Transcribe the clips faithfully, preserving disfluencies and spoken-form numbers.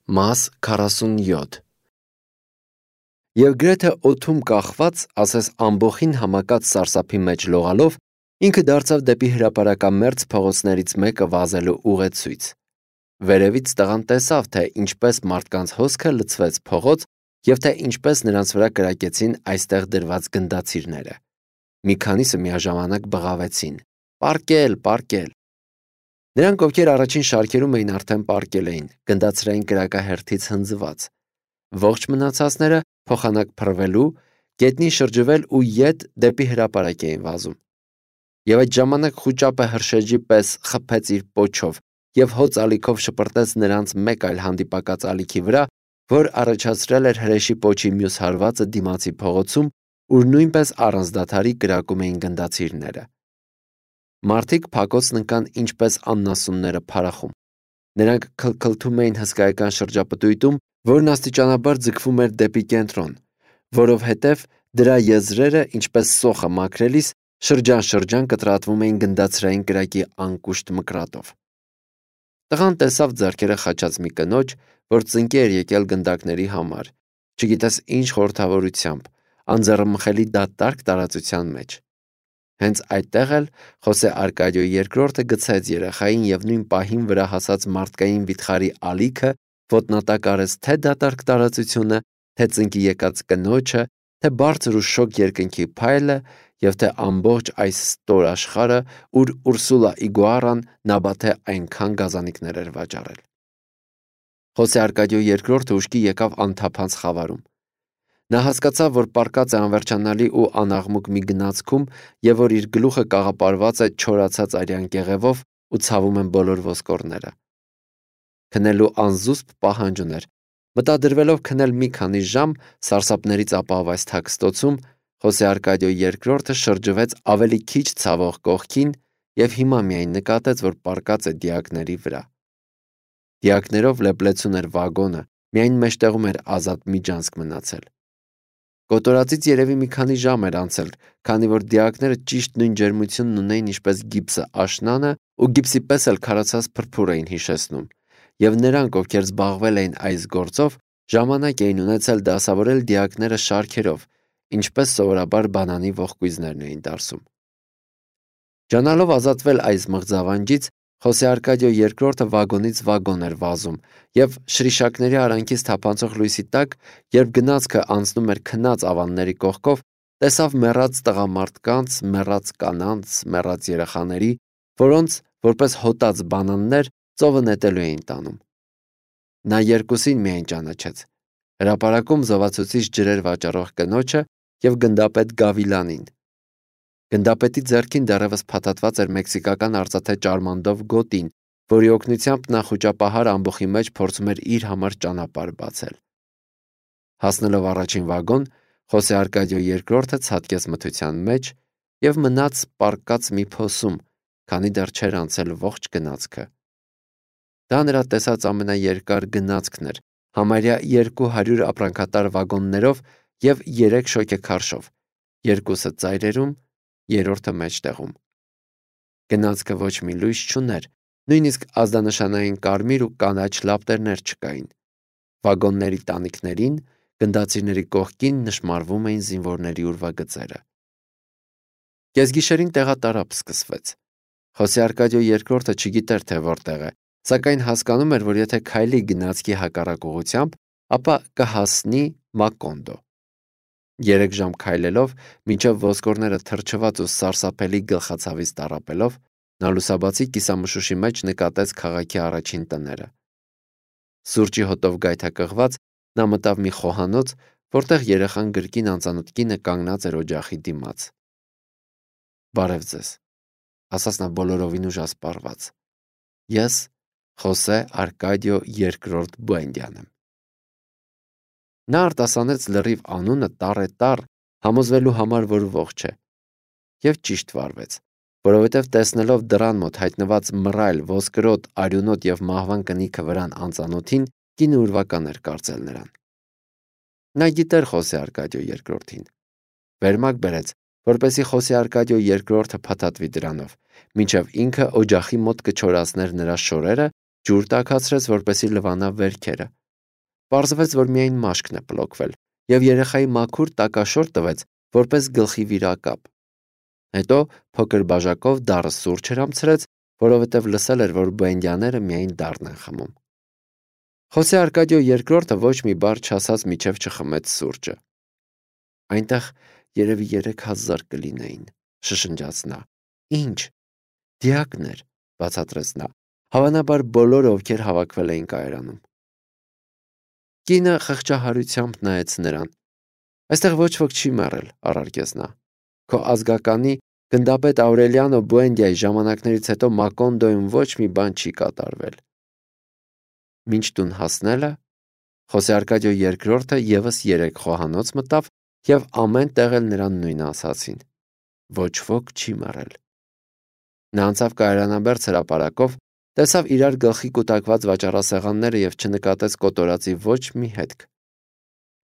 Մաս քառասունյոթ Եվ գրեթե օդում կախված, ասես ամբոխին համակած սարսափի մեջ լողալով, ինքը դարձավ դեպի հրապարակամերձ փողոցներից մեկը վազելու ուղեցույց։ Վերևից տղան տեսավ, թե ինչպես մարդկանց հոսքը լցվեց փողոց և թե ինչպես նրանց վրա կրակեցին այստեղ դրված գնդացիրները։ Մի քանիսը միաժամանակ բղավեցին. «Պառկել, պառկել»։ Նրանք, ովքեր առաջին շարքերում էին, արդեն պառկել էին, գնդացրային կրակահերթից հնձված։ Ողջ մնացածները փոխանակ փռվելու, գետնին շրջվել ու ետ դեպի հրապարակ էին վազում։ Եվ այդ ժամանակ խուճապը հրշեջի պես խփեց իր պոչով և հոծ ալիքով շպրտեց նրանց մեկ այլ հանդիպակաց ալիքի վրա, որ առաջացրել էր հրեշի պոչի մյուս հարվածը դիմացի փողոցում, ուր նույնպես առանց դադարի կրակում էին գնդացիրները։ Մարդիկ փակոցն ընկան ինչպես աննասունները փարախում։ Նրանք քլքլթում էին հսկայական շրջապտույտում, որն աստիճանաբար ձգվում էր դեպի կենտրոն, որովհետև դրա եզրերը, ինչպես սոխը մաքրելիս, շրջան-շրջան կտրատվում էին գնդացրային կրակի անկուշտ մկրատով։ Տղան տեսավ ձեռքերը խաչած մի կնոջ, որ ծնկի էր եկել գնդակների համար, չգիտես ինչ խորհրդավորությամբ, անձեռամխելի դատարկ տարածության մեջ։ Հենց այդտեղ էլ Խոսե Արկադիո երկրորդը գցեց երեխային և նույն պահին վրա հասած մարդկային վիթխարի ալիքը ոտնատակ արեց թե դատարկ տարածությունը, թե ծնկի եկած կնոջը, թե բարձր ու շոգ երկնքի փայլը և թե ամբողջ այս ստոր աշխարհը, ուր Ուրսուլա Իգուարան նաբաթե այնքան գազանիկներ էր վաճառել։ Խոսե Արկադիո երկրորդը ուշքի եկավ անթափանց խավարում։ Նա հասկացավ, որ պառկած է անվերջանալի ու անաղմուկ մի գնացքում և որ իր գլուխը կաղապարված է չորացած արյան կեղևով ու ցավում են բոլոր ոսկորները։ Քնելու անզուսպ պահանջ ուներ։ Մտադրվելով քնել մի քանի ժամ սարսափներից ապահովված թաքստոցում, Խոսե Արկադիո երկրորդը շրջվեց ավելի քիչ ցավող կողքին և հիմա միայն նկատեց, որ պառկած է դիակների վրա։ Դիակներով լեփլեցուն էր վագոնը, միայն մեջտեղում էր ազատ միջանցք մնացել։ Կոտորածից երևի մի քանի ժամ էր անցել, քանի որ դիակները ճիշտ նույն ջերմությունն ունեին, ինչպես գիպսը աշնանը ու գիպսի պես էլ քարացած փրփուր էին հիշեցնում, և նրանք, ովքեր զբաղվել էին այս գործով, ժամանակ էին ունեցել դասավորել դիակները շարքերով, ինչպես սովորաբար բանանի ողկույզներն էին դարսում։ Ջանալով ազատվել այս մղձավանջից, Խոսե Արկադիո երկրորդը վագոնից վագոն էր վազում և շրիշակների արանքից թափանցող լույսի տակ, երբ գնացքը անցնում էր քնած ավանների կողքով, տեսավ մեռած տղամարդկանց, մեռած կանանց, մեռած երեխաների, որոնց, որպես հոտած բանաններ, ծովը նետելու էին տանում։ Նա երկուսին միայն ճանաչեց՝ հրապարակում զովացուցիչ ջրեր վաճառող կնոջը և գնդապետ Գավիլանին։ Գնդապետի ձեռքին դեռևս փաթաթված էր մեքսիկական արծաթե ճարմանդով գոտին, որի օգնությամբ նա խուճապահար ամբոխի մեջ փորձում էր իր համար ճանապարհ բացել։ Հասնելով առաջին վագոն, Խոսե Արկադիո երկրորդը ցատկեց մթության մեջ և մնաց պառկած մի փոսում, քանի դեռ չէր անցել ողջ գնացքը։ Դա նրա տեսած ամենաերկար գնացքն էր, համարյա երկու հարյուր ապրանքատար վագոններով և երեք շոգեքարշով, երկուսը ծայրերում, երրորդը մեջտեղում։ Գնացքը ոչ մի լույս չուներ, նույնիսկ ազդանշանային կարմիր ու կանաչ լապտերներ չկային։ Վագոնների տանիքներին, գնդացիրների կողքին նշմարվում էին զինվորների ուրվագծերը։ Կեսգիշերին տեղատարափ սկսվեց։ Խոսե Արկադիո երկրորդը չգիտեր, թե որտեղ է, սակայն հասկանում էր, որ եթե քայլի գնացքի հակառակ ուղղությամբ, ապա կհասնի Մակոնդո։ Երեք ժամ քայլելով, մինչև ոսկորները թրջված ու սարսափելի գլխացավից տառապելով, նա լուսաբացի կիսամշուշի մեջ նկատեց քաղաքի առաջին տները։ Սուրճի հոտով գայթակղված, նա մտավ մի խոհանոց, որտեղ երեխան գրկին անծանոթ կինը կանգնած էր օջախի դիմաց։ «Բարև ձեզ», ասաց նա բոլորովին ուժասպառված։ «Ես Խոսե Արկադիո երկրորդ Բուենդյան եմ»։ Նա արտասանեց լրիվ անունը տառ է տառ, համոզվելու համար, որ ողջ է, և ճիշտ վարվեց, որովհետև տեսնելով դռան մոտ հայտնված մռայլ, ոսկրոտ, արյունոտ և մահվան կնիքը վրան անծանոթին, կինը ուրվական էր կարծել նրան։ Նա գիտեր Խոսե Արկադիո երկրորդին։ Վերմակ բերեց, որպեսզի Խոսե Արկադիո երկրորդը փաթաթվի դրանով, մինչև ինքը օջախի մոտ կչորացներ նրա շորերը, ջուր տաքացրեց, որպեսզի լվանա վերքերը, Պարզվեց, որ միայն մաշկն է պլոկվել, եւ երեխայի մաքուր տակաշոր տվեց, որպես գլխի վիրակապ։ Հետո փոքր բաժակով դառը սուրճ հրամցրեց, որովհետև լսել էր, որ բոենդյաները միայն դառն են խմում։ Խոսե Արկադիո երկրորդը ոչ մի բառ չասաց, միջև չխմեց սուրճը։ Այնտեղ երևի երեք հազար կլինեին, շշնջաց նա։ Ինչ, դիակներ, բացատրեց նա, հավանաբար բոլորը, ովքեր հավաքվել էին կայարանում։ Կինը խղճահարությամբ նայեց նրան։ Այստեղ ոչ ոք չի մեռել, առարկեց նա։ Քո ազգականի գնդապետ Աուրելիանո Բուենդիայի ժամանակներից հետո Մակոնդոյում ոչ մի բան չի կատարվել։ Մինչ տուն հասնելը Խոսե Արկադիո երկրորդը եւս երեք խոհանոց մտավ եւ ամեն տեղ էլ նրան նույնը ասացին. ոչ ոք չի մեռել։ Նա անցավ կայարանաբերձ հրապարակով, տեսավ իրար գլխի կուտակված վաճառասեղանները եւ չնկատեց կոտորածի ոչ մի հետք։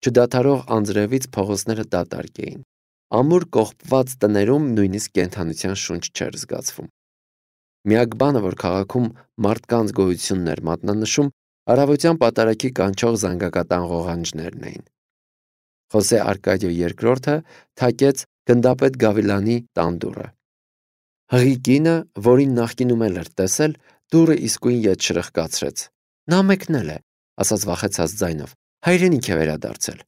Չդադարող անձրևից փողոցները դատարկ էին։ Ամուր կողպված տներում նույնիսկ կենդանության շունչ չէր զգացվում։ Միակ բանը, որ քաղաքում մարդկանց գոյությունն էր մատնանշում, առավոտյան պատարագի կանչող զանգակատան ղողանջներն էին։ Խոսե Արկադիո երկրորդը թակեց գնդապետ Գավիլանի տան դուռը։ Հղի կինը, որին նախկինում էլ էր տեսել, դուռը իսկույն ետ շրխկացրեց։ Նա մեկնել է, ասաց վախեցած ձայնով, հայրենիք է վերադարձել։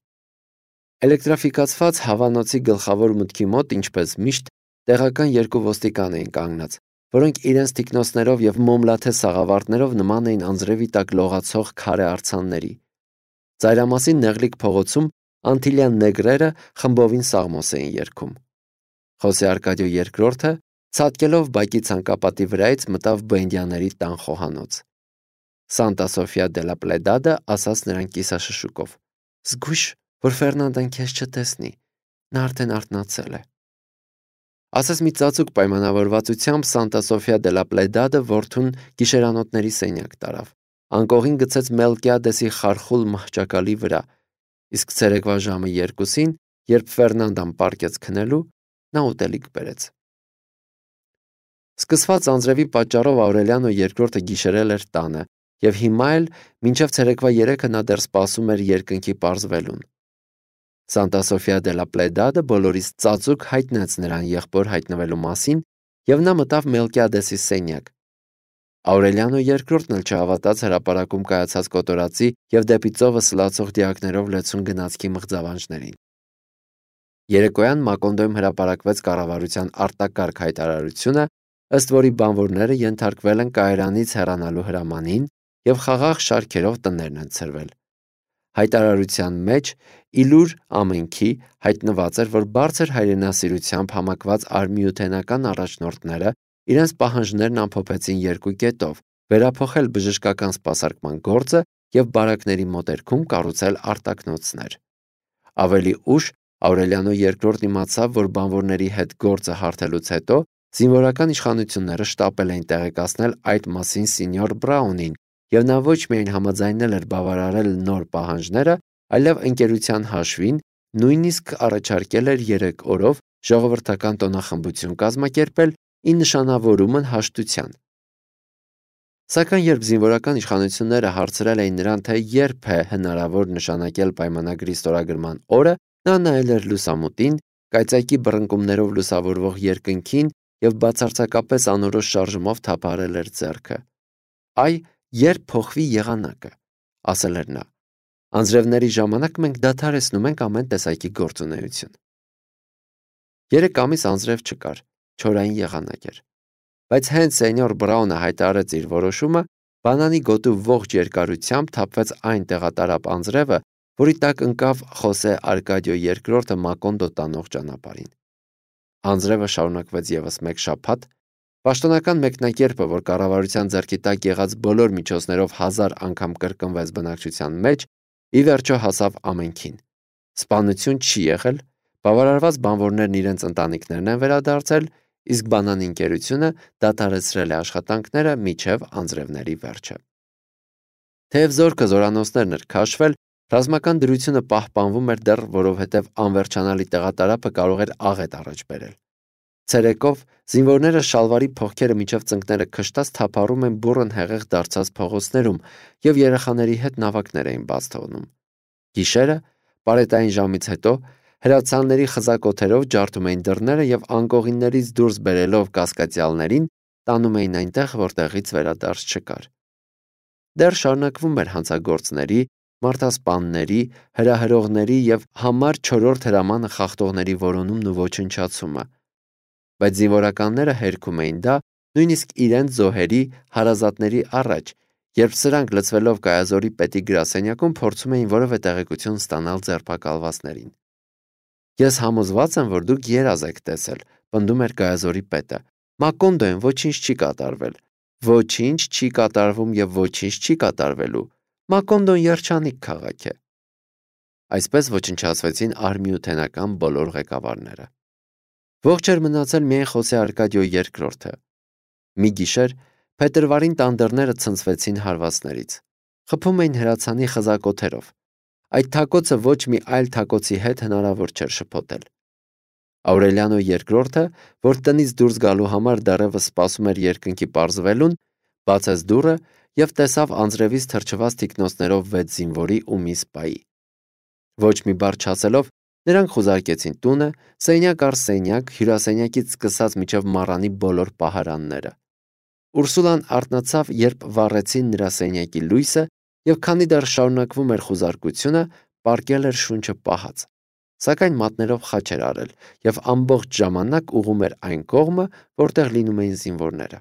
Էլեկտրաֆիկացված հավանոցի գլխավոր մուտքի մոտ, ինչպես միշտ, տեղական երկու ոստիկան էին կանգնած, որոնք իրենց թիկնոցներով եւ մոմլաթե սաղավարտներով նման էին անձրևի տակ լողացող քարե արձանների։ Ծայրամասին նեղլիկ փողոցում անտիլյան նեգրերը խմբովին սաղմոս էին երգում։ Խոսե Արկադիո երկրորդը, ցատկելով բակի ցանկապատի վրայից, մտավ բոենդյաների տան խոհանոց։ Սանտա Սոֆիա դե լա Պլեդադը ասաց նրան կիսաշշուկով. Զգույշ, որ Ֆերնանդան քեզ չտեսնի, նա արդեն արթնացել է։ Ասես մի ծածուկ պայմանավորվածությամբ Սանտա Սոֆիա դե լա Պլեդադը որդուն գիշերանոթների սենյակ տարավ։ Անկողին գցեց Մելկիադեսի խարխուլ մահճակալի վրա, իսկ ցերեկվա ժամը երկուսին, երբ Ֆերնանդան պառկեց քնելու, նա ուտելիք բերեց։ Սկսված անձրևի պատճառով Աուրելիանո երկրորդը գիշերել էր տանը, եւ հիմա էլ մինչև ցերեկվա երեքը նա դեռ սպասում էր երկնքի պարզվելուն։ Սանտա Սոֆիա դե լա Պլեդադը բոլորից ծածուկ հայտնեց նրան եղբոր հայտնվելու մասին, եւ նա մտավ Մելկիադեսի սենյակ։ Աուրելիանո երկրորդն էլ չհավատաց հրապարակում կայացած կոտորածի եւ դեպի ծովը սլացող դիակներով լեցուն գնացքի մղձավանջներին։ Երեկոյան Մակոնդոյում հրապարակվեց կառավարության արտակարգ հայտարարությունը, ըստ որի բանվորները ենթարկվել են կայարանից հեռանալու հրամանին եւ խաղաղ շարքերով տներն են ցրվել։ Հայտարարության մեջ իլուր ամենքի հայտնված էր, որ բարձր հայրենասիրությամբ համակված արմիութենական առաջնորդները իրենց պահանջներն ամփոփեցին երկու կետով՝ վերափոխել բժշկական սպասարկման գործը եւ բարակների մոտերքում կառուցել արտակնոցներ։ Ավելի ուշ Աուրելիանո երկրորդն իմացավ, որ բանվորների հետ գործը հարթելուց հետո զինվորական իշխանությունները շտապել էին տեղեկացնել այդ մասին սենյոր Բրաունին, եւ նա ոչ միայն համաձայնել էր բավարարել նոր պահանջները, այլև ընկերության հաշվին նույնիսկ առաջարկել էր երեք օրով ժողովրդական տոնախմբություն կազմակերպել ի նշանավորումն հաշտության։ Սակայն երբ զինվորական իշխանությունները հարցրել էին նրան, թե երբ է հնարավոր նշանակել պայմանագրի ստորագրման օրը, նա նայել էր լուսամուտին, կայծակի բռնկումներով լուսավորվող երկնքին եւ բացարձակապես անորոշ շարժումով թափահարել էր ձեռքը։ Այ, երբ փոխվի եղանակը, ասել էր նա։ Անձրևների ժամանակ մենք դադարեցնում ենք ամեն տեսակի գործունեություն։ Երեք ամիս անձրև չկար, չորային եղանակ էր։ Բայց հենց սենյոր Բրաունը հայտարարեց իր որոշումը, բանանի գոտու ողջ երկարությամբ թափվեց այն տեղատարապ անձրևը, որի տակ ընկավ Խոսե Արկադիո երկրորդը Մակոնդո տանող ճանապարհին։ Անձրևը շարունակվեց եւս մեկ շաբաթ, պաշտոնական մեկնակերպը, որ կառավարության ձեռքի տակ եղած բոլոր միջոցներով հազար անգամ կրկնվեց բնակչության մեջ, ի վերջո հասավ ամենքին։ Սպանություն չի եղել, բավարարված բանվորներն իրենց ընտանիքներն են վերադարձել, իսկ բանանի ընկերությունը դադարեցրել է աշխատանքները մինչև անձրևների վերջը։ Թեև զորքը զորանոցներն էր քաշվել, ռազմական դրությունը պահպանվում էր դեռ, որովհետև անվերջանալի տեղատարապը կարող էր աղետ առաջ բերել։ Ցերեկով զինվորները շալվարի փողքերը միջև ծնկները քշտած թափառում են բուռն հեղեղ դարձած փողոցներում եւ երեխաների հետ նավակներ էին բաց թողնում։ Գիշերը, պարետային ժամից հետո, հրացանների խզակոթերով ջարդում էին դռները եւ անկողիններից դուրս բերելով կասկածյալներին տանում էին այնտեղ, որտեղից վերադարձ չկար։ Դեռ շարունակվում էր հանցագործների, մարդասպանների, հրահրողների եւ համար չորրորդ հրամանը խախտողների որոնումն ու ոչնչացումը, բայց զինվորականները հերքում էին դա նույնիսկ իրենց զոհերի հարազատների առաջ, երբ սրանք լցվելով Կայազորի պետի գրասենյակում փորձում էին որևէ տեղեկություն ստանալ ձերբակալվածներին։ Ես համոզված եմ, որ դուք երազ եք տեսել, պնդում էր Կայազորի պետը։ Մակոնդոյեն ոչինչ չի կատարվել։ Ոչինչ չի կատարվում եւ ոչինչ չի կատարվելու։ Մակոնդոն երջանիկ քաղաք է։ Այսպես ոչնչացվեցին արմիութենական բոլոր ղեկավարները։ Ողջ էր մնացել միայն Խոսե Արկադիոյ երկրորդը։ Մի գիշեր փետրվարին տանդրները ցնցվեցին հարվածներից։ Խփում էին հրացանի խզակոթերով։ Այդ թակոցը ոչ մի այլ թակոցի հետ հնարավոր չէր շփոթել։ Աուրելիանո երկրորդը, որ տնից դուրս գալու համար դեռևս սպասում էր երկնքի պարզվելուն, բացեց դուռը եւ տեսավ անձրևից թրջված թիկնոցներով վեց զինվորի ու մի սպայի։ Ոչ մի բառ չասելով, նրանք խուզարկեցին տունը, սենյակ առ սենյակ, հյուրասենյակից սկսած մինչև մառանի բոլոր պահարանները։ Ուրսուլան արթնացավ, երբ վառեցին նրա սենյակի լույսը, եւ քանի դեռ շարունակվում էր խուզարկությունը, պառկել էր շունչը պահած, սակայն մատներով խաչ էր արել եւ ամբողջ ժամանակ ուղում էր այն կողմը, որտեղ լինում էին զինվորները։